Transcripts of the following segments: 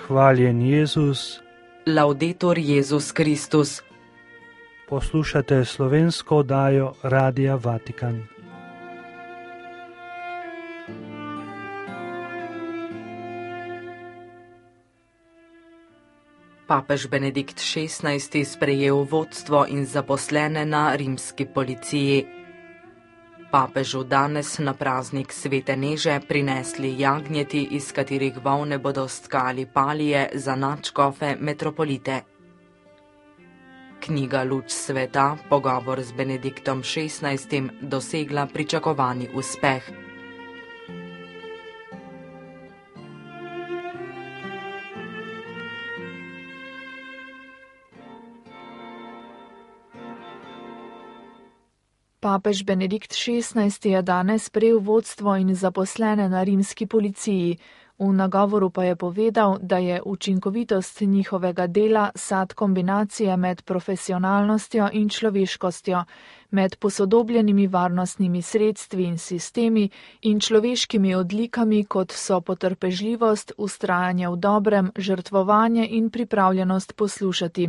Hvaljen Jezus. Laudetur Jezus Kristus. Poslušate slovensko oddajo Radia Vatikan. Papež Benedikt XVI sprejel vodstvo in zaposlene na rimski policiji. Papežu danes na praznik Svete Neže prinesli jagnjeti, iz katerih volne bodo stkali palije za nadškofe metropolite. Knjiga Luč sveta, pogovor z Benediktom XVI, dosegla pričakovani uspeh. Papež Benedikt XVI je danes prejel vodstvo in zaposlene na rimski policiji. V nagovoru pa je povedal, da je učinkovitost njihovega dela sad kombinacije med profesionalnostjo in človeškostjo, med posodobljenimi varnostnimi sredstvi in sistemi in človeškimi odlikami, kot so potrpežljivost, vztrajanje v dobrem, žrtvovanje in pripravljenost poslušati.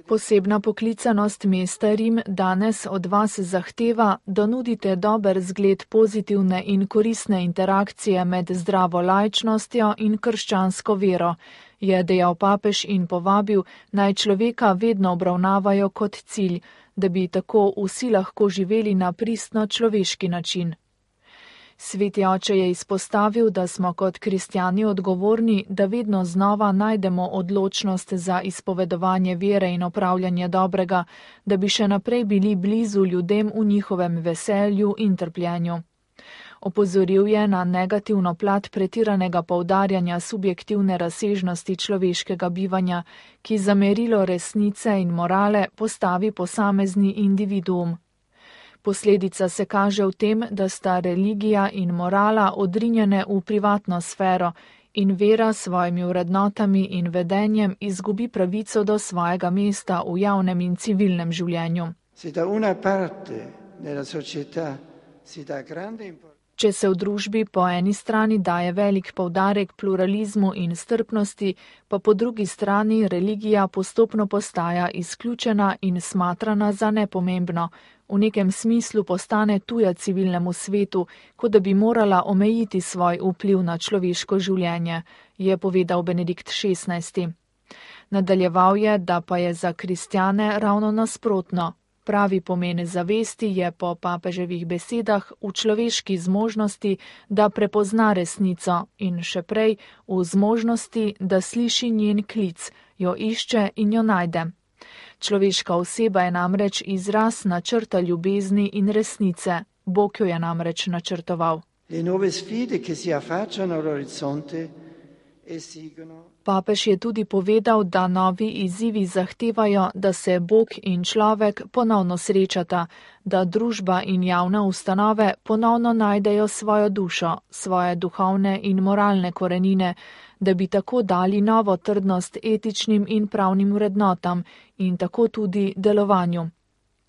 Posebna poklicanost mesta Rim danes od vas zahteva, da nudite dober zgled pozitivne in koristne interakcije med zdravo laičnostjo in krščansko vero, je dejal papež in povabil, naj človeka vedno obravnavajo kot cilj, da bi tako vsi lahko živeli na pristno človeški način. Sveti oče je izpostavil, da smo kot kristjani odgovorni, da vedno znova najdemo odločnost za izpovedovanje vere in opravljanje dobrega, da bi še naprej bili blizu ljudem v njihovem veselju in trpljenju. Opozoril je na negativno plat pretiranega poudarjanja subjektivne razsežnosti človeškega bivanja, ki za merilo resnice in morale postavi posamezni individuum. Posledica se kaže v tem, da sta religija in morala odrinjene v privatno sfero in vera s svojimi vrednotami in vedenjem izgubi pravico do svojega mesta v javnem in civilnem življenju. Če se v družbi po eni strani daje velik poudarek pluralizmu in strpnosti, pa po drugi strani religija postopno postaja izključena in smatrana za nepomembno, v nekem smislu postane tuja civilnemu svetu, kot da bi morala omejiti svoj vpliv na človeško življenje, je povedal Benedikt XVI. Nadaljeval je, da pa je za kristjane ravno nasprotno. Pravi pomen zavesti je po papeževih besedah v človeški zmožnosti, da prepozna resnico in še prej v zmožnosti, da sliši njen klic, jo išče in jo najde. Človeška oseba je namreč izraz načrta ljubezni in resnice. Bog jo je namreč načrtoval. Papež je tudi povedal, da novi izzivi zahtevajo, da se Bog in človek ponovno srečata, da družba in javne ustanove ponovno najdejo svojo dušo, svoje duhovne in moralne korenine, da bi tako dali novo trdnost etičnim in pravnim vrednotam in tako tudi delovanju.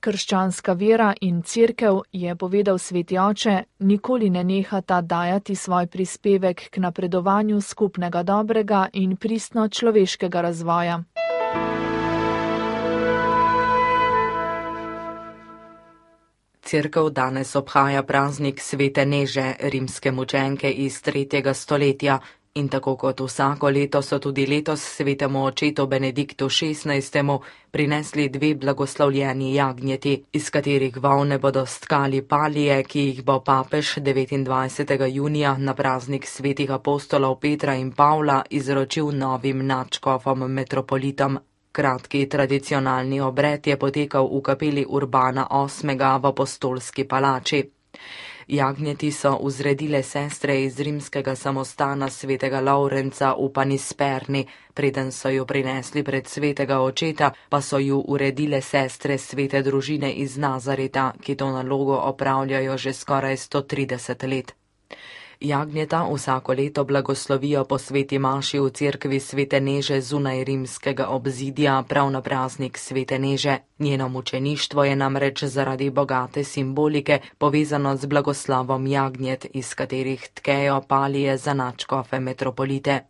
Krščanska vera in cerkev, je povedal sveti oče, nikoli ne nehata dajati svoj prispevek k napredovanju skupnega dobrega in pristno človeškega razvoja. Cerkev danes obhaja praznik Svete Neže, rimske mučenke iz 3. stoletja, in tako kot vsako leto so tudi letos svetemu očetu Benediktu XVI prinesli 2 blagoslovljeni jagnjeti, iz katerih volne bodo stkali palije, ki jih bo papež 29. junija na praznik svetih apostolov Petra in Pavla izročil novim nadškofom metropolitom. Kratki tradicionalni obred je potekal v kapeli Urbana VIII v apostolski palači. Jagnjeti so vzredile sestre iz rimskega samostana svetega Laurenca v Panisperni, preden so jo prinesli pred svetega očeta, pa so ju uredile sestre svete družine iz Nazareta, ki to nalogo opravljajo že skoraj 130 let. Jagnjeta vsako leto blagoslovijo po sveti maši v cerkvi Svete Neže zunaj rimskega obzidja prav na praznik Svete Neže. Njeno mučeništvo je namreč zaradi bogate simbolike povezano z blagoslovom jagnjet, iz katerih tkejo palije za nadškofe metropolite.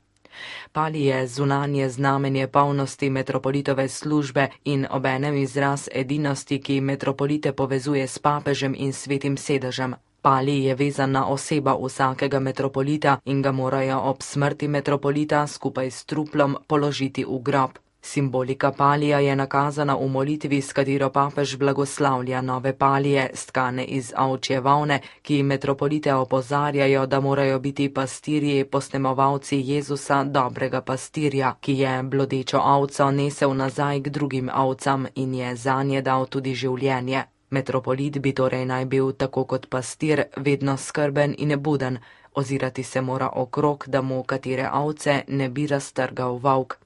Palije zunanje znamenje polnosti metropolitove službe in obenem izraz edinosti, ki metropolite povezuje s papežem in svetim sedežem. Palij je vezana oseba vsakega metropolita in ga morajo ob smrti metropolita skupaj s truplom položiti v grob. Simbolika palija je nakazana v molitvi, s katero papež blagoslavlja nove palije, stkane iz ovčje volne, ki metropolite opozarjajo, da morajo biti pastirji posnemovalci Jezusa, dobrega pastirja, ki je blodečo ovco nesel nazaj k drugim ovcam in je zanje dal tudi življenje. Metropolit bi torej naj bil, tako kot pastir, vedno skrben in nebuden, ozirati se mora okrog, da mu katere ovce ne bi raztrgal volk.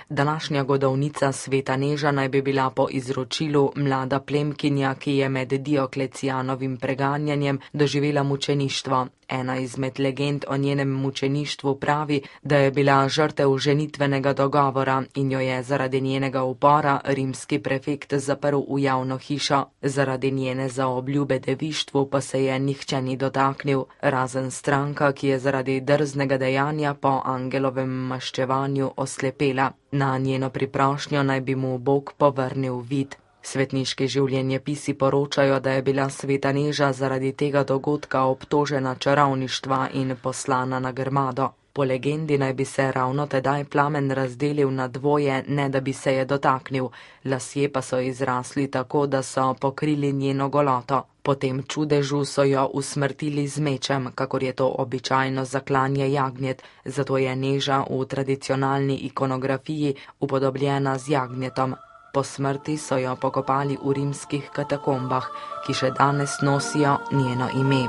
Današnja godovnica Sveta Neža naj bi bila po izročilu mlada plemkinja, ki je med Dioklecijanovim preganjanjem doživela mučeništvo. Ena izmed legend o njenem mučeništvu pravi, da je bila žrtev ženitvenega dogovora in jo je zaradi njenega upora rimski prefekt zaprl v javno hišo. Zaradi njene zaobljube devištvu pa se je nihče ni dotaknil, razen stranka, ki je zaradi drznega dejanja po angelovem maščevanju oslepela. Na njeno priprošnjo naj bi mu Bog povrnil vid. Svetniški življenjepisi poročajo, da je bila Sveta Neža zaradi tega dogodka obtožena čarovništva in poslana na grmado. Po legendi naj bi se ravno tedaj plamen razdelil na dvoje, ne da bi se je dotaknil, lasje pa so izrasli tako, da so pokrili njeno goloto. Po tem čudežu so jo usmrtili z mečem, kakor je to običajno za klanje jagnjet, zato je Neža v tradicionalni ikonografiji upodobljena z jagnjetom. Po smrti so jo pokopali v rimskih katakombah, ki še danes nosijo njeno ime.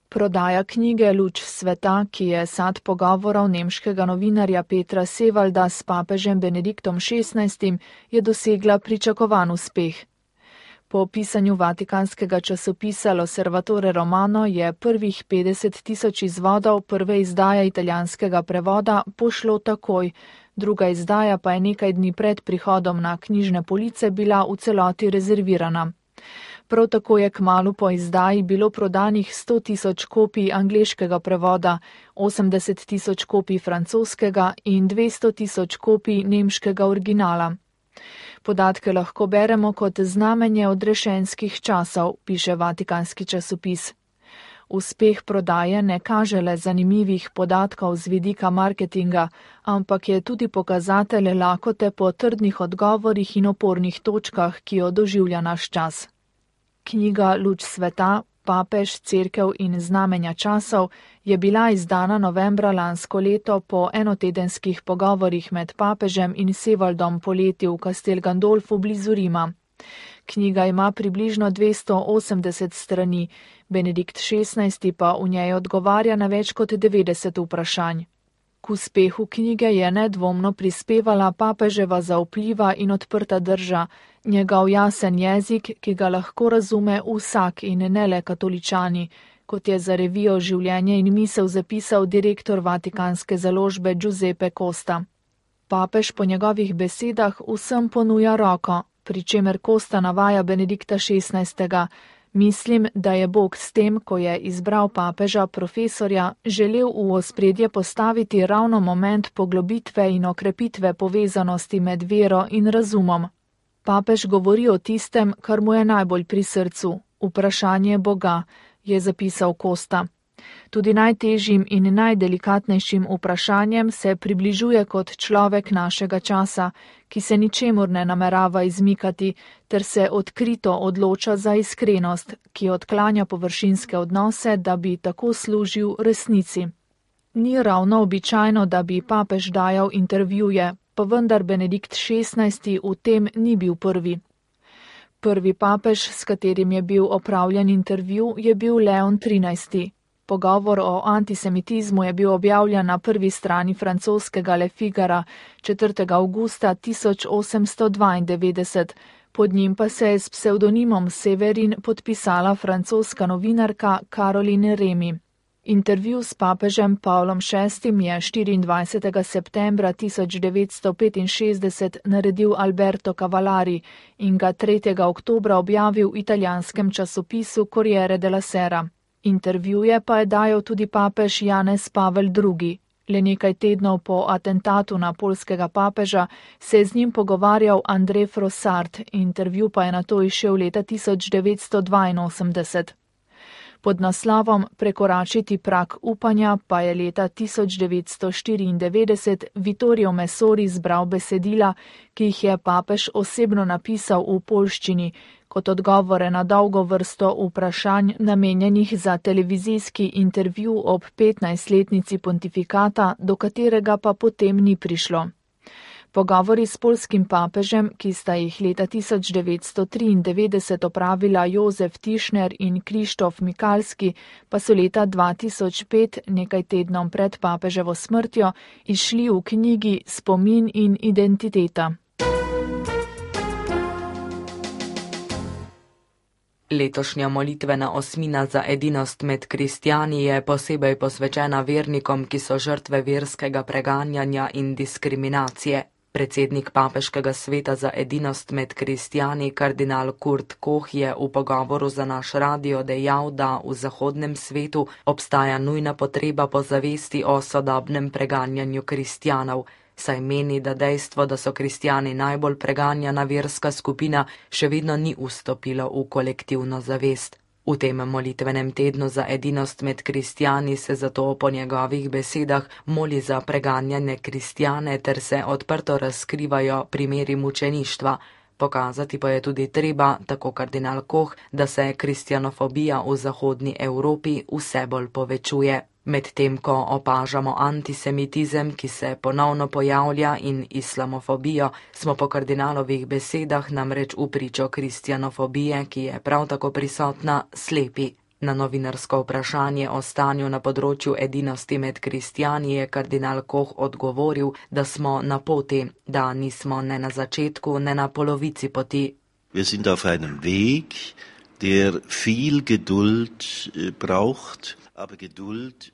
Prodaja knjige Luč sveta, ki je sad pogovorov nemškega novinarja Petra Sevalda s papežem Benediktom XVI, je dosegla pričakovan uspeh. Po pisanju vatikanskega časopisa L'Osservatore Romano je prvih 50.000 izvodov prve izdaje italijanskega prevoda pošlo takoj, druga izdaja pa je nekaj dni pred prihodom na knjižne police bila v celoti rezervirana. Prav tako je kmalu po izdaji bilo prodanih 100.000 kopij angleškega prevoda, 80.000 kopij francoskega in 200.000 kopij nemškega originala. Podatke lahko beremo kot znamenje odrešenskih časov, piše vatikanski časopis. Uspeh prodaje ne kaže le zanimivih podatkov z vidika marketinga, ampak je tudi pokazatelj lakote po trdnih odgovorih in opornih točkah, ki jo doživlja naš čas. Knjiga Luč sveta, papež, cerkev in znamenja časov je bila izdana novembra lansko leto po enotedenskih pogovorih med papežem in Sevaldom poleti v Castel Gandolfu blizu Rima. Knjiga ima približno 280 strani, Benedikt XVI pa v njej odgovarja na več kot 90 vprašanj. K uspehu knjige je nedvomno prispevala papeževa zaupljiva in odprta drža, njegov jasen jezik, ki ga lahko razume vsak in ne le katoličani, kot je za revijo Življenje in misel zapisal direktor vatikanske založbe Giuseppe Costa. Papež po njegovih besedah vsem ponuja roko, pri čemer Costa navaja Benedikta XVI. Mislim, da je Bog s tem, ko je izbral papeža profesorja, želel v ospredje postaviti ravno moment poglobitve in okrepitve povezanosti med vero in razumom. Papež govori o tistem, kar mu je najbolj pri srcu, vprašanje Boga, je zapisal Costa. Tudi najtežjim in najdelikatnejšim vprašanjem se približuje kot človek našega časa, ki se ničemur ne namerava izmikati, ter se odkrito odloča za iskrenost, ki odklanja površinske odnose, da bi tako služil resnici. Ni ravno običajno, da bi papež dajal intervjuje, pa vendar Benedikt XVI v tem ni bil prvi. Prvi papež, s katerim je bil opravljen intervju, je bil Leon XIII. pogovor o antisemitizmu je bil objavljen na prvi strani francoskega Le Figara 4. avgusta 1892. Pod njim pa se je s psevdonimom Severin podpisala francoska novinarka Caroline Remy. Intervju s papežem Pavlom VI je 24. septembra 1965 naredil Alberto Cavallari in ga 3. oktobra objavil v italijanskem časopisu Corriere della Sera. Intervjuje pa je dajal tudi papež Janez Pavel II. Le nekaj tednov po atentatu na poljskega papeža se je z njim pogovarjal André Frossard, intervju pa je nato izšel leta 1982. Pod naslovom Prekoračiti prag upanja pa je leta 1994 Vittorio Messori zbral besedila, ki jih je papež osebno napisal v poljščini, kot odgovore na dolgo vrsto vprašanj namenjenih za televizijski intervju ob 15-letnici pontifikata, do katerega pa potem ni prišlo. Pogovori s poljskim papežem, ki sta jih leta 1993 opravila Jozef Tischner in Krištof Mikalski, pa so leta 2005, nekaj tednom pred papeževo smrtjo, izšli v knjigi Spomin in identiteta. Letošnja molitvena osmina za edinost med kristjani je posebej posvečena vernikom, ki so žrtve verskega preganjanja in diskriminacije. Predsednik Papeškega sveta za edinost med kristjani, kardinal Kurt Koch, je v pogovoru za naš radio dejal, da v zahodnem svetu obstaja nujna potreba po zavesti o sodobnem preganjanju kristjanov, saj meni, da dejstvo, da so kristjani najbolj preganjana verska skupina, še vedno ni vstopilo v kolektivno zavest. V tem molitvenem tednu za edinost med kristjani se zato po njegovih besedah moli za preganjane kristjane ter se odprto razkrivajo primeri mučeništva. Pokazati pa je tudi treba, tako kardinal Koch, da se kristjanofobija v zahodni Evropi vse bolj povečuje. Medtem ko opažamo antisemitizem, ki se ponovno pojavlja, in islamofobijo, smo po kardinalovih besedah namreč v pričo kristjanofobije, ki je prav tako prisotna, slepi. Na novinarsko vprašanje o stanju na področju edinosti med kristjani je kardinal Koch odgovoril, da smo na poti, da nismo ne na začetku, ne na polovici poti. Wir sind auf einem Weg, der viel Geduld braucht.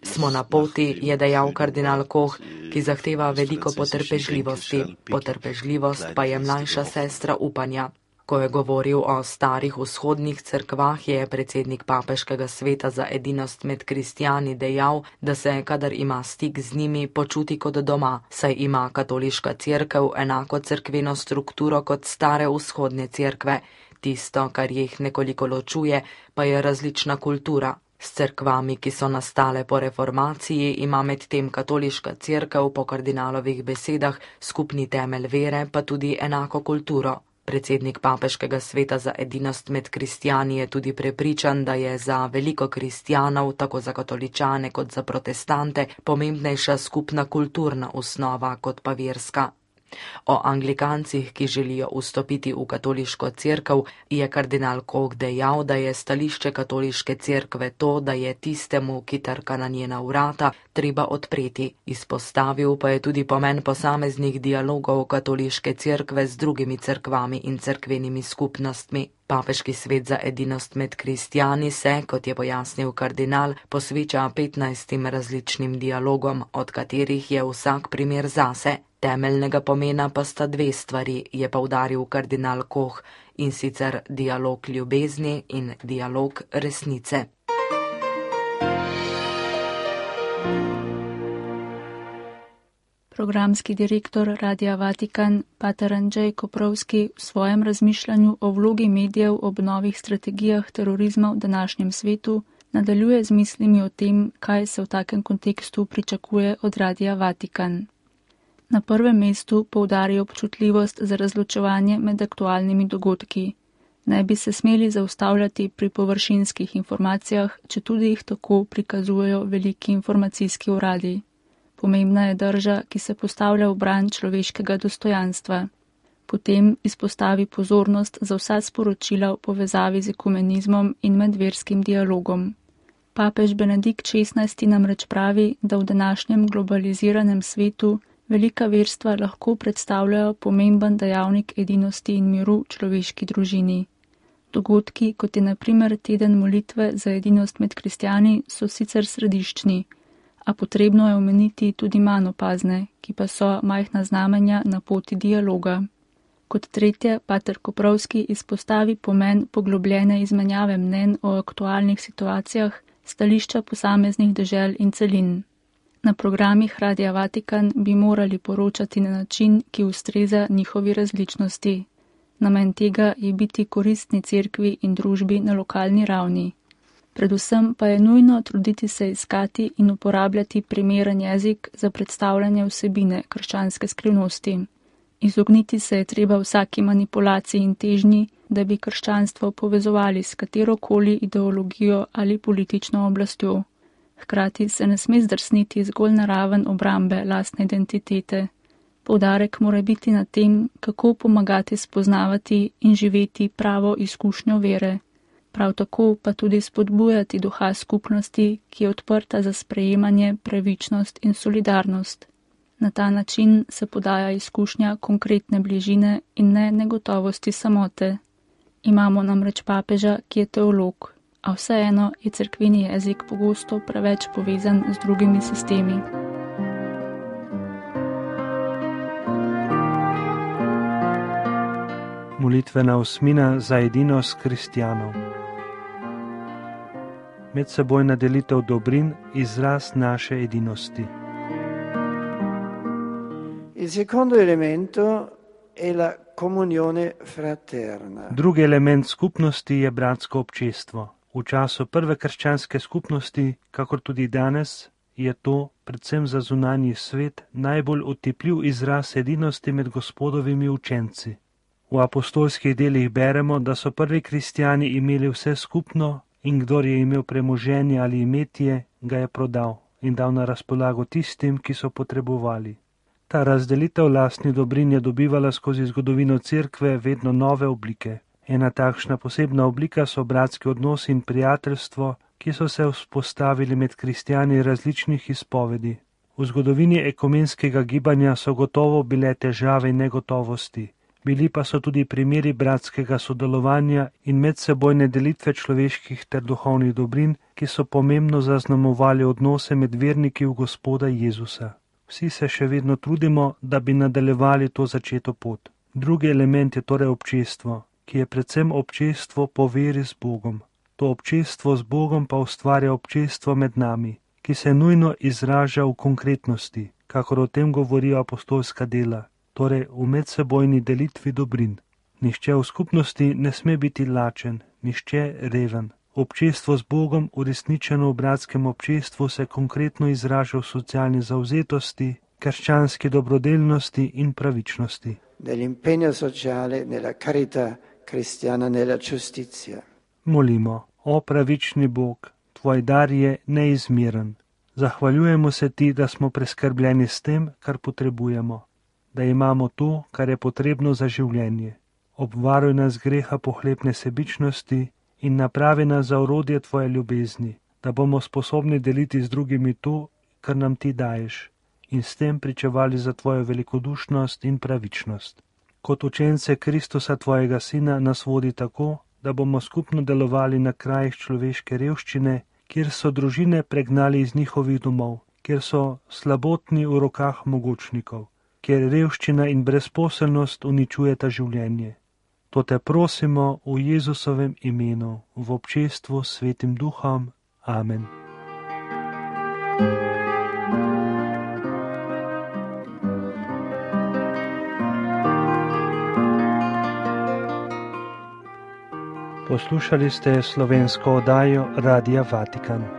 Smo na poti, je dejal kardinal Koch, ki zahteva veliko potrpežljivosti. Potrpežljivost pa je mlajša sestra upanja. Ko je govoril o starih vzhodnih cerkvah, je predsednik Papeškega sveta za edinost med kristjani dejal, da se, kadar ima stik z njimi, počuti kot doma, saj ima katoliška cerkev enako cerkveno strukturo kot stare vzhodne cerkve. Tisto, kar jih nekoliko ločuje, pa je različna kultura. S cerkvami, ki so nastale po reformaciji, ima medtem katoliška cerkev po kardinalovih besedah skupni temelj vere, pa tudi enako kulturo. Predsednik Papeškega sveta za edinost med kristjani je tudi prepričan, da je za veliko kristjanov, tako za katoličane kot za protestante, pomembnejša skupna kulturna osnova kot pa verska. O anglikancih, ki želijo vstopiti v katoliško cerkev, je kardinal Koch dejal, da je stališče katoliške cerkve to, da je tistemu, ki trka na njena vrata, treba odpreti. Izpostavil pa je tudi pomen posameznih dialogov katoliške cerkve z drugimi cerkvami in cerkvenimi skupnostmi. Papeški svet za edinost med kristjani se, kot je pojasnil kardinal, posveča 15 različnim dialogom, od katerih je vsak primer zase. Temeljnega pomena pa sta dve stvari, je poudaril kardinal Koch, in sicer dialog ljubezni in dialog resnice. Programski direktor Radia Vatikan, pater Andrzej Koprovski, v svojem razmišljanju o vlogi medijev ob novih strategijah terorizma v današnjem svetu nadaljuje z mislimi o tem, kaj se v takem kontekstu pričakuje od Radia Vatikan. Na prvem mestu poudarja občutljivost za razločevanje med aktualnimi dogodki. Ne bi se smeli zaustavljati pri površinskih informacijah, četudi jih tako prikazujejo veliki informacijski uradi. Pomembna je drža, ki se postavlja v bran človeškega dostojanstva. Potem izpostavi pozornost za vsa sporočila v povezavi z ekumenizmom in medverskim dialogom. Papež Benedikt XVI namreč pravi, da v današnjem globaliziranem svetu velika verstva lahko predstavljajo pomemben dejavnik edinosti in miru v človeški družini. Dogodki, kot je na primer teden molitve za edinost med kristjani, so sicer središčni, a potrebno je omeniti tudi manj opazne, ki pa so majhna znamenja na poti dialoga. Kot tretje, pater Koprovski izpostavi pomen poglobljene izmenjave mnenj o aktualnih situacijah, stališča posameznih dežel in celin. Na programih Radia Vatikan bi morali poročati na način, ki ustreza njihovi različnosti. Namen tega je biti koristni cerkvi in družbi na lokalni ravni. Predvsem pa je nujno truditi se iskati in uporabljati primeren jezik za predstavljanje vsebine krščanske skrivnosti. Izogniti se je treba vsaki manipulaciji in težnji, da bi krščanstvo povezovali s katerokoli ideologijo ali politično oblastjo. Hkrati se ne sme zdrsniti zgolj na raven obrambe lastne identitete. Poudarek mora biti na tem, kako pomagati spoznavati in živeti pravo izkušnjo vere. Prav tako pa tudi spodbujati duha skupnosti, ki je odprta za sprejemanje, pravičnost in solidarnost. Na ta način se podaja izkušnja konkretne bližine in ne negotovosti samote. Imamo namreč papeža, ki je teolog, a vseeno je cerkveni jezik pogosto preveč povezan z drugimi sistemi. Molitvena osmina za edinost kristjanov. Medsebojna delitev dobrin, izraz naše edinosti. Il secondo elemento è la comunione fraterna. Drugi element skupnosti je bratsko občestvo. V času prve krščanske skupnosti, kakor tudi danes, je to, predvsem za zunanji svet, najbolj otipljiv izraz edinosti med Gospodovimi učenci. V apostolskih delih beremo, da so prvi kristjani imeli vse skupno in kdor je imel premoženje ali imetje, ga je prodal in dal na razpolago tistim, ki so potrebovali. Ta razdelitev lastnih dobrin je dobivala skozi zgodovino cerkve vedno nove oblike. Ena takšna posebna oblika so bratski odnosi in prijateljstvo, ki so se vzpostavili med kristjani različnih izpovedi. V zgodovini ekumenskega gibanja so gotovo bile težave in negotovosti. Bili pa so tudi primeri bratskega sodelovanja in medsebojne delitve človeških ter duhovnih dobrin, ki so pomembno zaznamovali odnose med verniki v Gospoda Jezusa. Vsi se še vedno trudimo, da bi nadaljevali to začeto pot. Drugi element je torej občestvo, ki je predvsem občestvo po veri z Bogom. To občestvo z Bogom pa ustvarja občestvo med nami, ki se nujno izraža v konkretnosti, kakor o tem govorijo apostolska dela, torej v medsebojni delitvi dobrin. Nihče v skupnosti ne sme biti lačen, nihče reven. Občestvo z Bogom, uresničeno v bratskem občestvu, se konkretno izraža v socialni zavzetosti, krščanski dobrodelnosti in pravičnosti. Dell'impegno sociale nella carità cristiana nella giustizia. Molimo, o pravični Bog, tvoj dar je neizmeren. Zahvaljujemo se ti, da smo preskrbljeni s tem, kar potrebujemo, da imamo to, kar je potrebno za življenje. Obvaruj nas greha pohlepne sebičnosti in napravi nas za orodje tvoje ljubezni, da bomo sposobni deliti z drugimi to, kar nam ti daješ, in s tem pričevali za tvojo velikodušnost in pravičnost. Kot učence Kristusa tvojega Sina nas vodi tako, da bomo skupno delovali na krajih človeške revščine, kjer so družine pregnali iz njihovih domov, kjer so slabotni v rokah mogočnikov, kjer revščina in brezposelnost uničujeta življenje. To te prosimo v Jezusovem imenu, v občestvu s Svetim Duhom. Amen. Poslušali ste slovensko oddajo Radia Vatikan.